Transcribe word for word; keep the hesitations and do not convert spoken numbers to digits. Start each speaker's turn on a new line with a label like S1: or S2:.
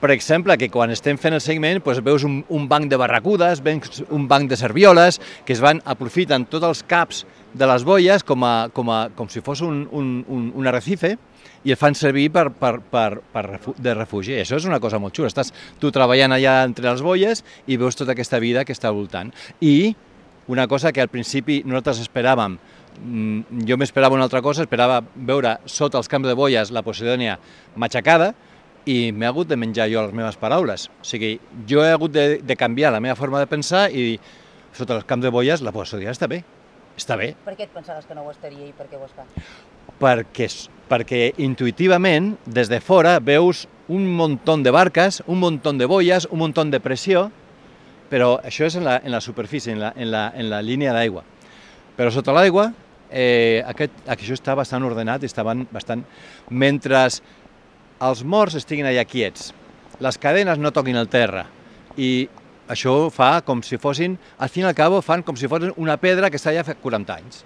S1: per exemple, que quan estem fent el seguiment doncs veus un, un banc de barracudes, veus un banc de servioles, que es van aprofiten tots els caps de les boies com, a, com, a, com si fos un, un, un, un arrecife, i el fan servir per, per, per, per refu, de refugi. Això és una cosa molt xula. Estàs tu treballant allà entre les boies i veus tota aquesta vida que està al voltant. I una cosa que al principi nosaltres esperàvem, jo m'esperava una altra cosa, esperava veure sota els camps de boies la Posidònia matxacada, i m'he hagut de menjar jo les meves paraules. O sigui, jo he hagut de, de canviar la meva forma de pensar i sota els camps de boies la Posidònia està bé. Està bé.
S2: Per què et pensaves que no ho estaria i per què ho està?
S1: Perquè, perquè intuïtivament, des de fora, veus un muntó de barques, un muntó de boies, un muntó de pressió, però això és en la, en la superfície, en la, en la, en la línia d'aigua. Però sota l'aigua, eh, aquest, això està bastant ordenat i estaven bastant... Mentre els morts estiguin allà quiets, les cadenes no toquin el terra, i això fa com si fossin, al fin i al cabo, fan com si fossin una pedra que està allà fa quaranta anys.